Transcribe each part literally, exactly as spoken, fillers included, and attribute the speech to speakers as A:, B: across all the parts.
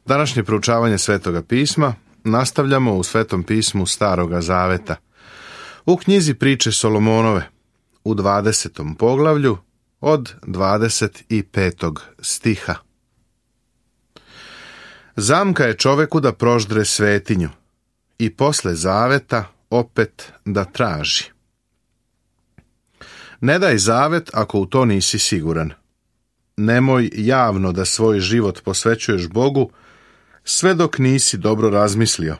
A: Današnje proučavanje Svetoga pisma nastavljamo u Svetom pismu Staroga zaveta. U knjizi Priče Solomonove, u dvadesetom poglavlju, od dvadeset petog stiha. Zamka je čoveku da proždre svetinju i posle zaveta opet da traži. Ne daj zavet ako u to nisi siguran. Nemoj javno da svoj život posvećuješ Bogu sve dok nisi dobro razmislio.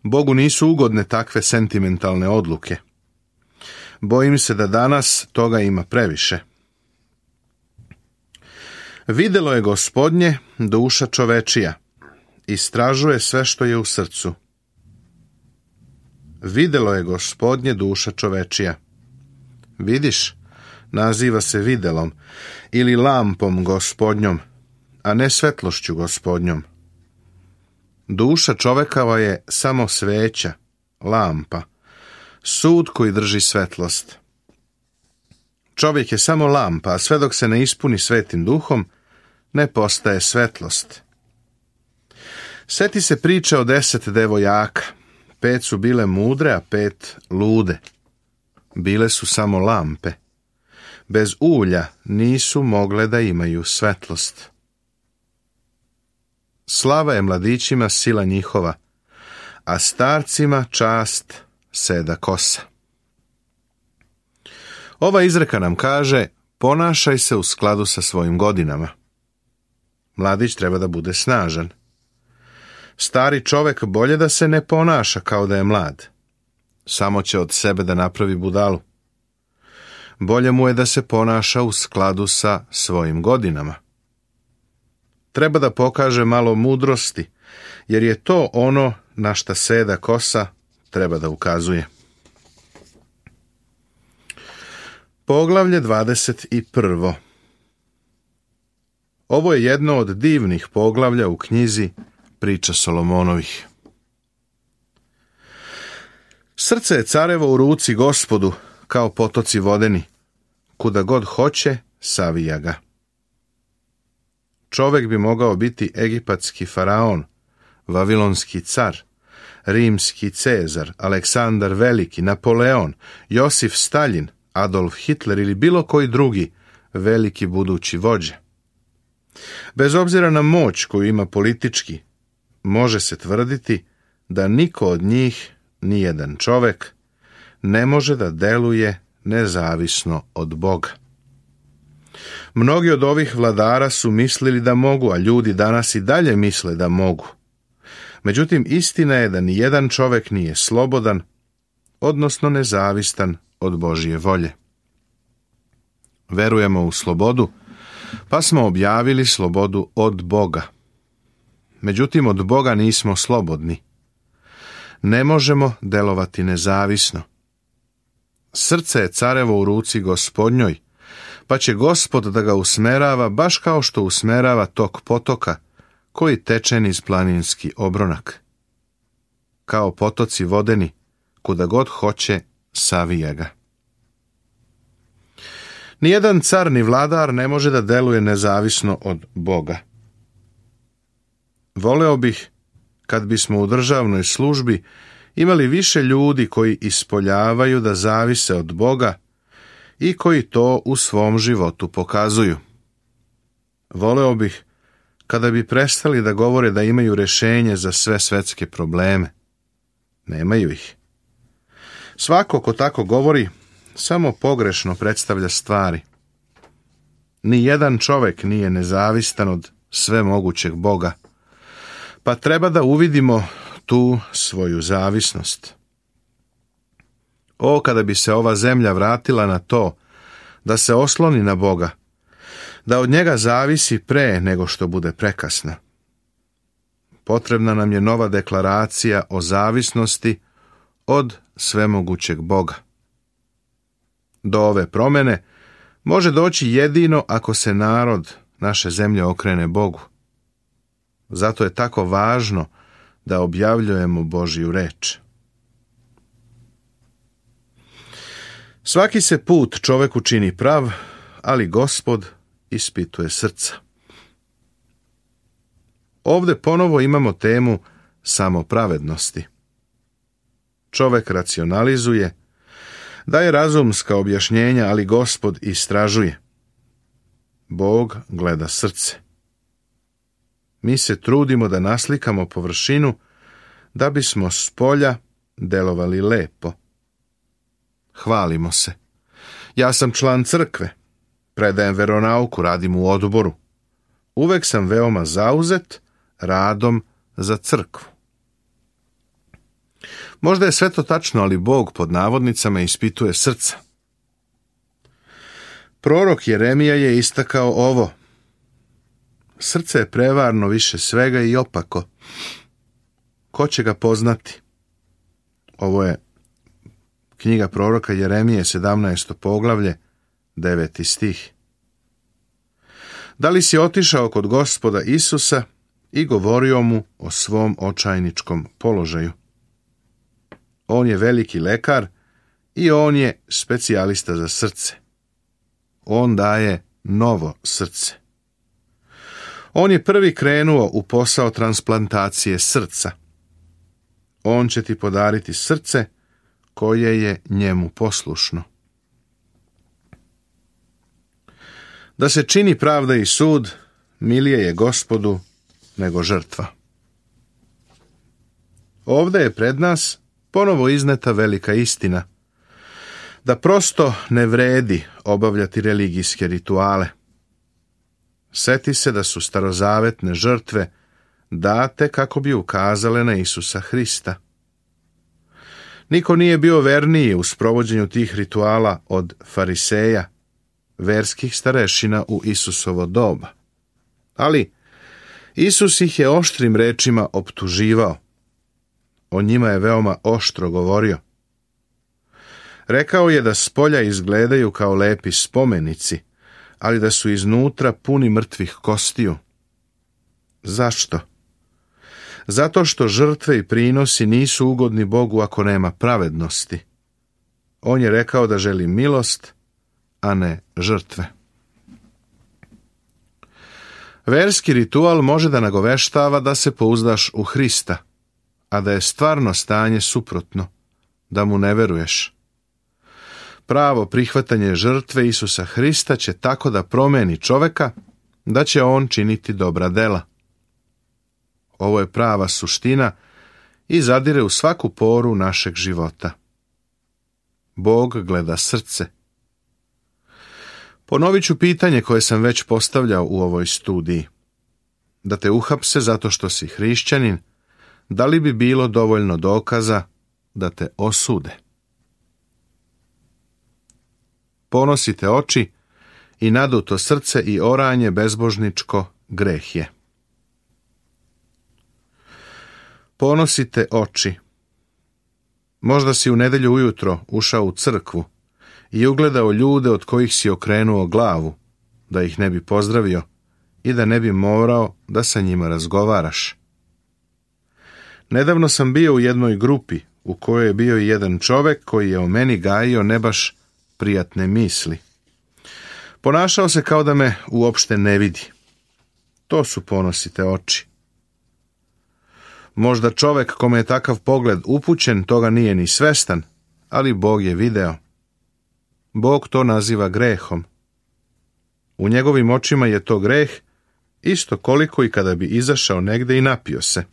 A: Bogu nisu ugodne takve sentimentalne odluke. Bojim se da danas toga ima previše. Videlo je Gospodnje duša čovečija, istražuje sve što je u srcu. Videlo je Gospodnje duša čovečija. Vidiš, naziva se videlom ili lampom Gospodnjom, a ne svetlošću Gospodnjom. Duša čovekava je samo sveća, lampa, sud koji drži svetlost. Čovjek je samo lampa, a sve dok se ne ispuni svetim duhom, ne postaje svetlost. Seti se priče o deset devojaka. Pet su bile mudre, a pet lude. Bile su samo lampe. Bez ulja nisu mogle da imaju svetlost. Slava je mladićima sila njihova, a starcima čast seda kosa. Ova izreka nam kaže, ponašaj se u skladu sa svojim godinama. Mladić treba da bude snažan. Stari čovek bolje da se ne ponaša kao da je mlad. Samo će od sebe da napravi budalu. Bolje mu je da se ponaša u skladu sa svojim godinama. Treba da pokaže malo mudrosti, jer je to ono na šta seda kosa treba da ukazuje. Poglavlje dvadeset prvo. Ovo je jedno od divnih poglavlja u knjizi Priča Solomonovih. Srce je carevo u ruci Gospodu, kao potoci vodeni. Kuda god hoće, savija ga. Čovek bi mogao biti egipatski faraon, vavilonski car, rimski Cezar, Aleksandar Veliki, Napoleon, Josif Stalin, Adolf Hitler ili bilo koji drugi veliki budući vođa. Bez obzira na moć koju ima politički, može se tvrditi da niko od njih, nijedan čovek, ne može da deluje nezavisno od Boga. Mnogi od ovih vladara su mislili da mogu, a ljudi danas i dalje misle da mogu. Međutim, istina je da ni jedan čovek nije slobodan, odnosno nezavistan od Božje volje. Verujemo u slobodu, pa smo objavili slobodu od Boga. Međutim, od Boga nismo slobodni. Ne možemo delovati nezavisno. Srce je carevo u ruci Gospodnjoj, pa će Gospod da ga usmerava baš kao što usmerava tok potoka koji teče niz planinski obronak. Kao potoci vodeni, kuda god hoće, savija ga. Nijedan car ni vladar ne može da deluje nezavisno od Boga. Voleo bih, kad bismo u državnoj službi imali više ljudi koji ispoljavaju da zavise od Boga i koji to u svom životu pokazuju. Voleo bih kada bi prestali da govore da imaju rešenje za sve svetske probleme. Nemaju ih. Svako ko tako govori, samo pogrešno predstavlja stvari. Ni jedan čovek nije nezavistan od svemogućeg Boga, pa treba da uvidimo tu svoju zavisnost. O, kada bi se ova zemlja vratila na to, da se osloni na Boga, da od njega zavisi pre nego što bude prekasno. Potrebna nam je nova deklaracija o zavisnosti od svemogućeg Boga. Do ove promene može doći jedino ako se narod naše zemlje okrene Bogu. Zato je tako važno da objavljujemo Božju reč. Svaki se put čoveku čini prav, ali Gospod ispituje srca. Ovdje ponovo imamo temu samopravednosti. Čovek racionalizuje, daje razumska objašnjenja, ali Gospod istražuje. Bog gleda srce. Mi se trudimo da naslikamo površinu da bismo s polja delovali lepo. Hvalimo se. Ja sam član crkve, predajem veronauku, radim u odboru. Uvek sam veoma zauzet radom za crkvu. Možda je sve to tačno, ali Bog pod navodnicama ispituje srca. Prorok Jeremija je istakao ovo. Srce je prevarno više svega i opako. Ko će ga poznati? Ovo je knjiga proroka Jeremije, sedamnaesto poglavlje, deveti stih. Da li si otišao kod Gospoda Isusa i govorio mu o svom očajničkom položaju? On je veliki lekar i on je specijalista za srce. On daje novo srce. On je prvi krenuo u posao transplantacije srca. On će ti podariti srce koje je njemu poslušno. Da se čini pravda i sud, milije je Gospodu nego žrtva. Ovdje je pred nas ponovo izneta velika istina, da prosto ne vredi obavljati religijske rituale. Seti se da su starozavetne žrtve date kako bi ukazale na Isusa Hrista. Niko nije bio verniji u sprovođenju tih rituala od fariseja, verskih starešina u Isusovo doba. Ali Isus ih je oštrim rečima optuživao. O njima je veoma oštro govorio. Rekao je da s polja izgledaju kao lepi spomenici, ali da su iznutra puni mrtvih kostiju. Zašto? Zato što žrtve i prinosi nisu ugodni Bogu ako nema pravednosti. On je rekao da želi milost, a ne žrtve. Verski ritual može da nagoveštava da se pouzdaš u Hrista, a da je stvarno stanje suprotno, da mu ne veruješ. Pravo prihvatanje žrtve Isusa Hrista će tako da promeni čoveka, da će on činiti dobra dela. Ovo je prava suština i zadire u svaku poru našeg života. Bog gleda srce. Ponovit ću pitanje koje sam već postavljao u ovoj studiji. Da te uhapse zato što si hrišćanin, da li bi bilo dovoljno dokaza da te osude? Ponosite oči i naduto srce i oranje bezbožničko greh je. Ponosite oči. Možda si u nedjelju ujutro ušao u crkvu i ugledao ljude od kojih si okrenuo glavu, da ih ne bi pozdravio i da ne bi morao da sa njima razgovaraš. Nedavno sam bio u jednoj grupi u kojoj je bio i jedan čovek koji je o meni gajio ne baš prijatne misli. Ponašao se kao da me uopšte ne vidi. To su ponosite oči. Možda čovek kome je takav pogled upućen toga nije ni svestan, ali Bog je video. Bog to naziva grehom. U njegovim očima je to greh isto koliko i kada bi izašao negde i napio se.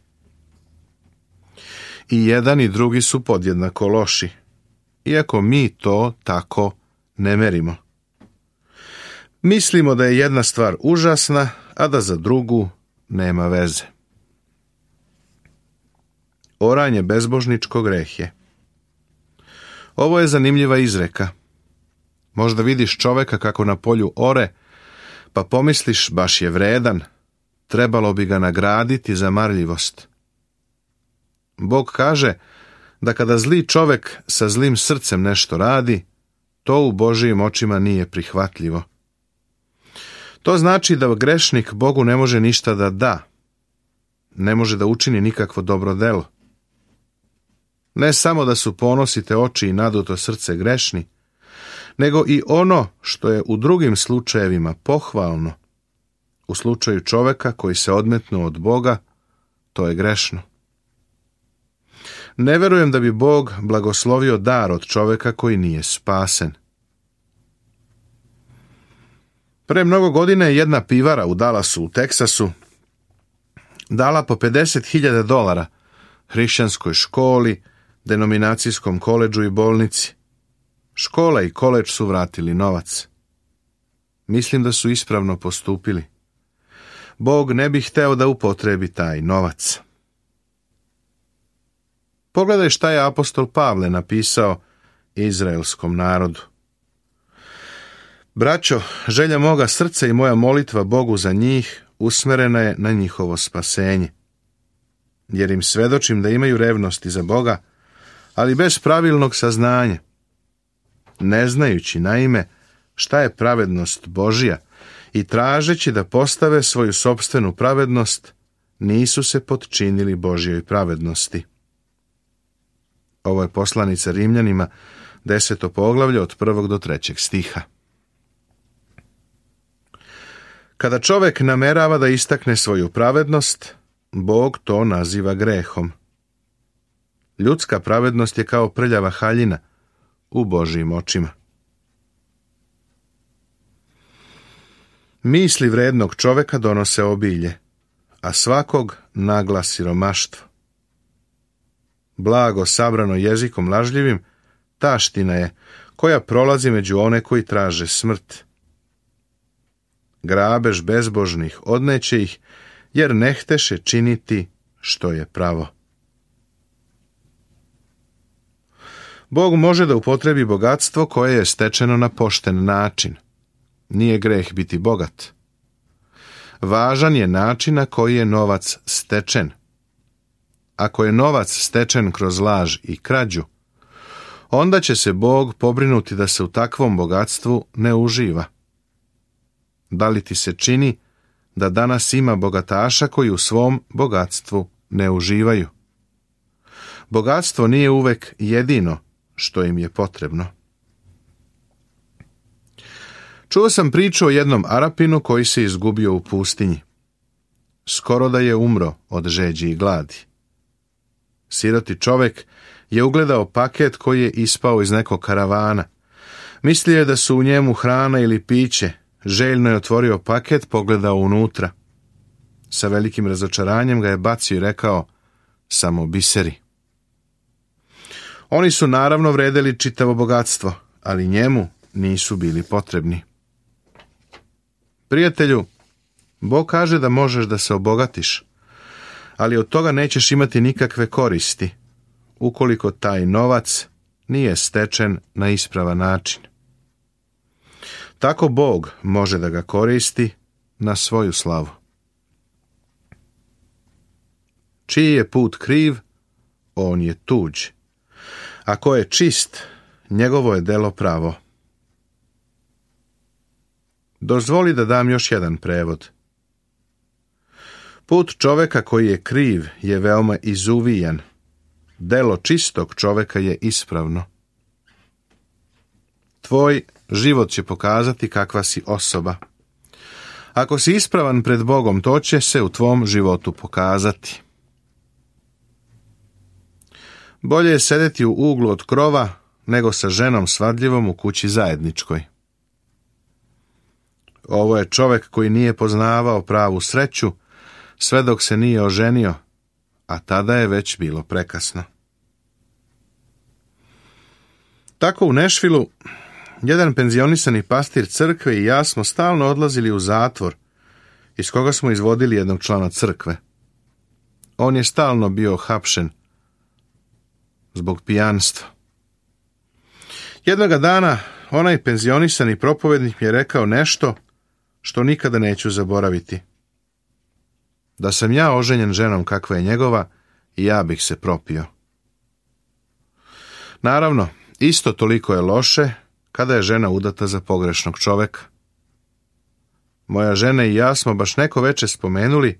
A: I jedan i drugi su podjednako loši, iako mi to tako ne merimo. Mislimo da je jedna stvar užasna, a da za drugu nema veze. Oranje bezbožničko greh je. Ovo je zanimljiva izreka. Možda vidiš čoveka kako na polju ore, pa pomisliš baš je vredan, trebalo bi ga nagraditi za marljivost. Bog kaže da kada zli čovek sa zlim srcem nešto radi, to u Božijim očima nije prihvatljivo. To znači da grešnik Bogu ne može ništa da da, ne može da učini nikakvo dobro delo. Ne samo da su ponosite oči i naduto srce grešni, nego i ono što je u drugim slučajevima pohvalno, U slučaju čoveka koji se odmetnuo od Boga, to je grešno. Ne verujem da bi Bog blagoslovio dar od čoveka koji nije spasen. Pre mnogo godina je jedna pivara u Dallasu u Teksasu dala po pedeset hiljada dolara hrišćanskoj školi, denominacijskom koledžu i bolnici. Škola i koledž su vratili novac. Mislim da su ispravno postupili. Bog ne bi hteo da upotrebi taj novac. Pogledaj šta je apostol Pavle napisao izraelskom narodu. Braćo, želja moga srca i moja molitva Bogu za njih usmerena je na njihovo spasenje. Jer im svedočim da imaju revnosti za Boga, ali bez pravilnog saznanja. Ne znajući naime šta je pravednost Božja i tražeći da postave svoju sopstvenu pravednost, nisu se potčinili Božjoj pravednosti. Ovo je poslanica Rimljanima, deseto poglavlje od prvog do trećeg stiha. Kada čovek namerava da istakne svoju pravednost, Bog to naziva grehom. Ljudska pravednost je kao prljava haljina u Božjim očima. Misli vrednog čoveka donose obilje, a svakog nagla siromaštvo. Blago sabrano jezikom lažljivim, taština je koja prolazi među one koji traže smrt. Grabež bezbožnih odneće ih, jer ne hteše činiti što je pravo. Bog može da upotrebi bogatstvo koje je stečeno na pošten način. Nije greh biti bogat. Važan je način na koji je novac stečen. Ako je novac stečen kroz laž i krađu, onda će se Bog pobrinuti da se u takvom bogatstvu ne uživa. Da li ti se čini da danas ima bogataša koji u svom bogatstvu ne uživaju? Bogatstvo nije uvek jedino što im je potrebno. Čuo sam priču o jednom Arapinu koji se izgubio u pustinji. Skoro da je umro od žeđi i gladi. Siroti čovek je ugledao paket koji je ispao iz nekog karavana. Mislio je da su u njemu hrana ili piće. Željno je otvorio paket, pogledao unutra. Sa velikim razočaranjem ga je bacio i rekao: samo biseri. Oni su naravno vredeli čitavo bogatstvo, ali njemu nisu bili potrebni. Prijatelju, Bog kaže da možeš da se obogatiš, ali od toga nećeš imati nikakve koristi, ukoliko taj novac nije stečen na ispravan način. Tako Bog može da ga koristi na svoju slavu. Čiji je put kriv, on je tuđ. A ko je čist, njegovo je delo pravo. Dozvoli da dam još jedan prevod. Put čoveka koji je kriv je veoma izuvijan. Delo čistog čoveka je ispravno. Tvoj život će pokazati kakva si osoba. Ako si ispravan pred Bogom, to će se u tvom životu pokazati. Bolje je sedeti u uglu od krova, nego sa ženom svadljivom u kući zajedničkoj. Ovo je čovek koji nije poznavao pravu sreću, sve dok se nije oženio, a tada je već bilo prekasno. Tako u Nešvilu, jedan penzionisani pastir crkve i ja smo stalno odlazili u zatvor, iz koga smo izvodili jednog člana crkve. On je stalno bio hapšen zbog pijanstva. Jednoga dana onaj penzionisani propovednik mi je rekao nešto što nikada neću zaboraviti. Da sam ja oženjen ženom kakva je njegova, i ja bih se propio. Naravno, isto toliko je loše kada je žena udata za pogrešnog čoveka. Moja žena i ja smo baš neko veče spomenuli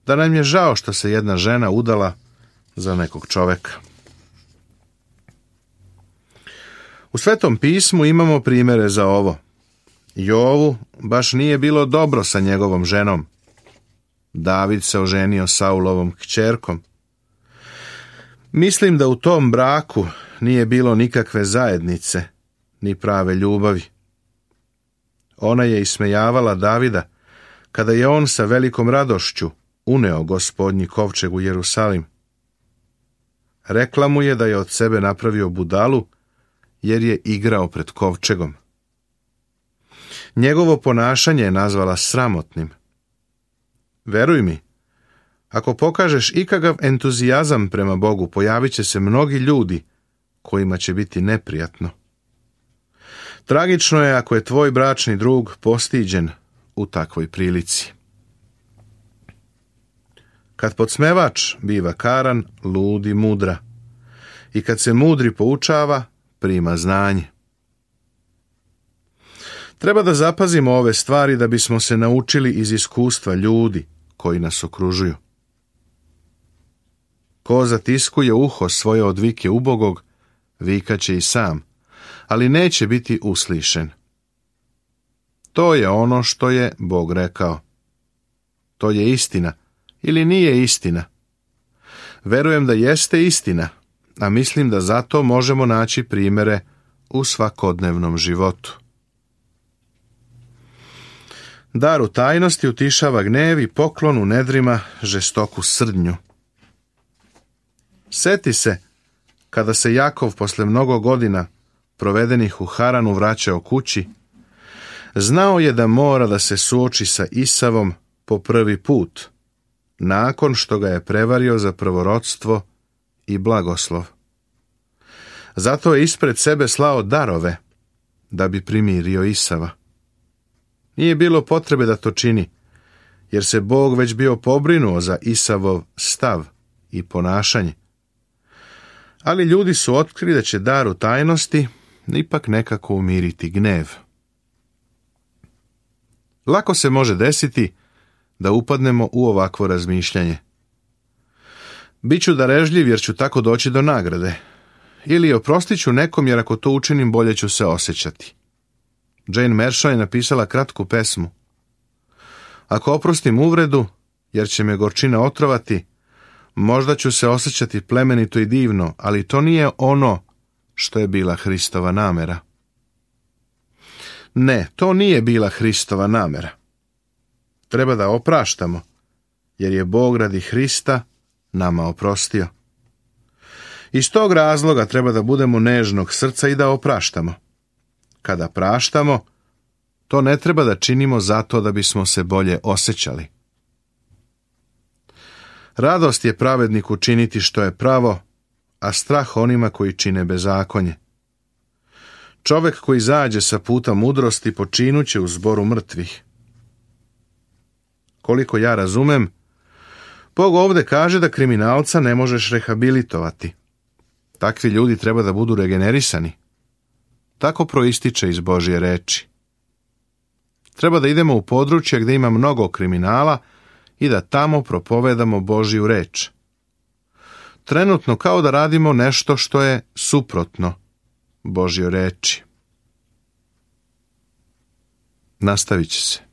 A: da nam je žao što se jedna žena udala za nekog čoveka. U Svetom pismu imamo primere za ovo. Jovu baš nije bilo dobro sa njegovom ženom. David se oženio Saulovom kćerkom. Mislim da u tom braku nije bilo nikakve zajednice, ni prave ljubavi. Ona je ismejavala Davida kada je on sa velikom radošću uneo Gospodnji kovčeg u Jerusalim. Rekla mu je da je od sebe napravio budalu, jer je igrao pred kovčegom. Njegovo ponašanje je nazvala sramotnim. Veruj mi, ako pokažeš ikakav entuzijazam prema Bogu, pojavit će se mnogi ljudi kojima će biti neprijatno. Tragično je ako je tvoj bračni drug postiđen u takvoj prilici. Kad podsmevač biva karan, ludi mudra. I kad se mudri poučava, prima znanje. Treba da zapazimo ove stvari da bismo se naučili iz iskustva ljudi koji nas okružuju. Ko zatiskuje uho svoje od vike ubogog, vikaće i sam, ali neće biti uslišen. To je ono što je Bog rekao. To je istina ili nije istina. Verujem da jeste istina, a mislim da zato možemo naći primere u svakodnevnom životu. Dar u tajnosti utišava gnev i poklon u nedrima žestoku srdnju. Seti se kada se Jakov posle mnogo godina provedenih u Haranu vraćao kući, znao je da mora da se suoči sa Isavom po prvi put, nakon što ga je prevario za prvorodstvo i blagoslov. Zato je ispred sebe slao darove da bi primirio Isava. Nije bilo potrebe da to čini, jer se Bog već bio pobrinuo za Isavov stav i ponašanje. Ali ljudi su otkrili da će dar u tajnosti ipak nekako umiriti gnev. Lako se može desiti da upadnemo u ovakvo razmišljanje. Biću darežljiv jer ću tako doći do nagrade. Ili oprostit ću nekom jer ako to učinim bolje ću se osjećati. Jane Mershaw je napisala kratku pesmu. Ako oprostim uvredu, jer će me gorčina otrovati, možda ću se osjećati plemenito i divno, ali to nije ono što je bila Hristova namera. Ne, to nije bila Hristova namera. Treba da opraštamo, jer je Bog radi Hrista nama oprostio. Iz tog razloga treba da budemo nežnog srca i da opraštamo. Kada praštamo, to ne treba da činimo zato da bismo se bolje osjećali. Radost je pravedniku činiti što je pravo, a strah onima koji čine bezakonje. Čovek koji zađe sa puta mudrosti počinuće u zboru mrtvih. Koliko ja razumem, Bog ovde kaže da kriminalca ne možeš rehabilitovati. Takvi ljudi treba da budu regenerisani. Tako proističe iz Božje reči. Treba da idemo u područje gdje ima mnogo kriminala i da tamo propovedamo Božju reč. Trenutno kao da radimo nešto što je suprotno Božjoj reči. Nastavit će se.